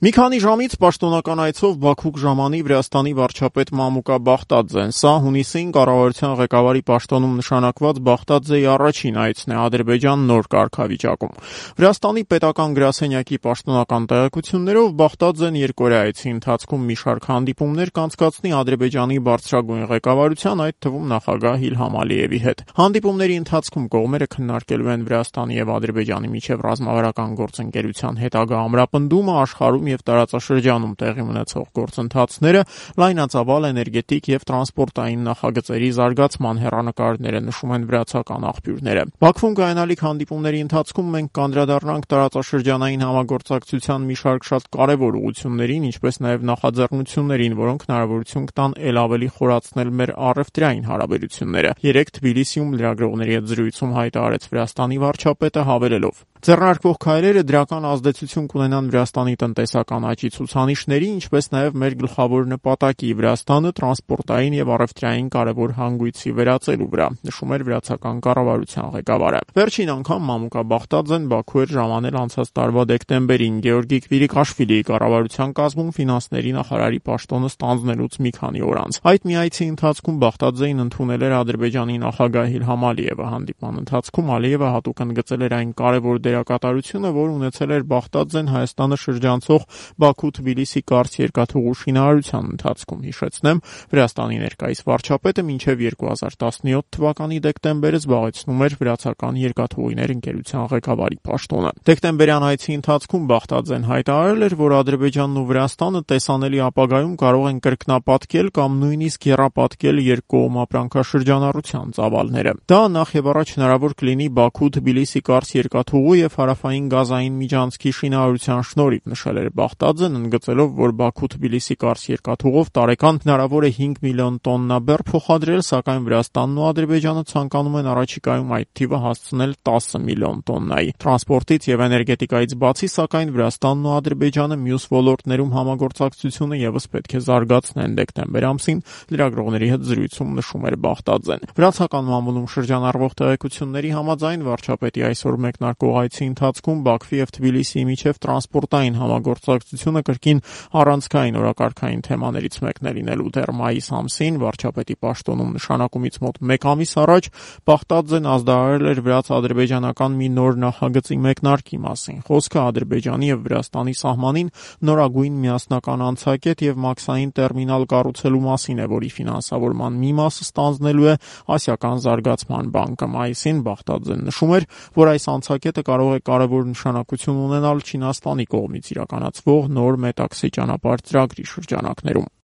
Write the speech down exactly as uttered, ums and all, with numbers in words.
Մի քանի ժամից պաշտոնական այցով Բաքու կժամանի Վրաստանի վարչապետ Մամուկա Բախտաձեն։ Սա հունիսին կառավարության ղեկավարի պաշտոնում նշանակված Բախտաձեի առաջին այցն է Ադրբեջան նոր կարգավիճակում։ Վրաստանի պետական գրասենյակի պաշտոնական տեղեկություններով Բախտաձեն երկօրյա այցի ընթացքում մի շարք հանդիպումներ կանցկացնի Ադրբեջանի բարձրագույն ղեկավարության, այդ թվում նախագահ Իլհամ Ալիևի հետ։ Հանդիպումների ընթացքում կողմերը քննարկելու են Վրաստանի եւ Ադրբեջանի միջև ռազմավարական գործընկերության հետագա ամրապնդումը, աշխարհում եւ տարածաշրջանում տեղի ունեցող գործընթացները, լայնածավալ էներգետիկ եւ տրանսպորտային նախագծերի զարգացման հեռանկարները, նշում են վրացական աղբյուրները։ Բաքվում կայանալիք հանդիպումների ընթացքում մենք կանդրադառնանք տարածաշրջանային համագործակցության մի շարք շատ կարևոր ուղղություններին, ինչպես նաեւ նախաձեռնություններին, որոնք հնարավորություն կտան ել ավելի խորացնել մեր առևտրային հարաբերությունները։ Երեկ Թբիլիսիում լրագրողների հետ զրույցում հայտարարեց Վրաստանի վարչապետը, հավելելով. Ձեռնարկվող քայլերը դրական ազդեցություն կունենան Վրաստանի տնտեսական աճի ցուցանիշների, ինչպես նաև մեր գլխավոր նպատակի Վրաստանը տրանսպորտային եւ առևտրային կարևոր հանգույցի վերածելու վրա, նշում էր վրացական կառավարության ղեկավարը։ Վերջին անգամ Մամուկա Բախտաձեն Բաքու էր ժամանել անցած տարվա դեկտեմբերին Գեորգի Կվիրիկաշվիլիի կառավարության կազմում ֆինանսների նախարարի պաշտոնը ստանձնելուց մի քանի օր անց։ Այդ մի այցի ընթացքում Բախտաձեին ընդունել էր Ադրբեջանի նախագահ Իլհամ Ալիևը։ Հանդիպման ընթացքում Ալիևը հատուկ ընդգծել էր այն կարևոր դերակատարությունը, որ ունեցել էր Բախտաձեն Հայաստանը շրջանցող Բաքու-Թբիլիսի կարճ երկաթուղու շինարարության ընթացքում։ Հիշեցնեմ, Վրաստանի ներկայիս վարչապետը մինչև երկու հազար տասնյոթ թվականի դեկտեմբերը զբաղեցնում էր վրացական երկաթուղիներ ընկերության ղեկավարի պաշտոնը։ Դեկտեմբերյան այցի ընթացքում Բախտաձեն հայտարարել էր, որ Ադրբեջանն ու Վրաստանը տեսանելի ապագայում կարող են կրկնապատկել կամ նույնիսկ եռապատկել երկկողմ ապրանքաշրջանառության ծավալները։ Դա նախ եւ առաջ հնարավոր կլինի Բաքու-Թբիլիսի կարճ երկաթուղու եւ հարավային գազային միջանցքի շինարարության շնորհիվ, նշել էր Բախտաձեն, ընդգծելով, որ Բաքու-Թբիլիսի կարճ երկաթուղով տարեկան հնարավոր է հինգ միլիոն տոննա բեռ փոխադրել, սակայն Վրաստանն ու Ադրբեջանը ցանկանում են առաջիկայում այդ թիվը հասցնել տասը միլիոն տոննայի։ Տրանսպորտից եւ էներգետիկայից բացի, սակայն Վրաստանն ու Ադրբեջանը մյուս ոլորտներում համագործակցությունը եւս պետք է զարգացնեն, դեկտեմբեր ամսին լրագրողների հետ զրույցում նշում էր Բախտաձեն։ Վրացական մամուլում շրջանառվող տեղեկությունների համաձայն վարչապետի այսօր մեկնարկող այցի ընթացքում Բաքվի եւ Թբիլիսիի միջև տրանսպորտային համագործակցությունը կրկին առանցքային օրակարգային թեմաներից մեկն է լինելու։ Դեռ մայիս ամսին վարչապետի պաշտոնում նշանակումից մոտ մեկ ամիս առաջ Բախտաձեն ազդարարել էր վրաց-ադրբեջանական մի նոր նախագծի մեկնարկի մասին։ Խոսքը Ադրբեջանի եւ Վրաստանի սահմանին նորագույն միասնական անցակետ եւ մաքսային տերմինալ կառուցելու մասին է, որի ֆինանսավորման մի մասը ստանձնելու է Ասիական զարգացման բանկը։ Մայիսին Բախտաձեն նշում էր, որ այս անցակետը կարող է կարևոր նշանակություն ունենալ Չինաստանի կողմից իրականացվող նոր Մետաքսի ճանապարհ ծրագրի շրջանակներում։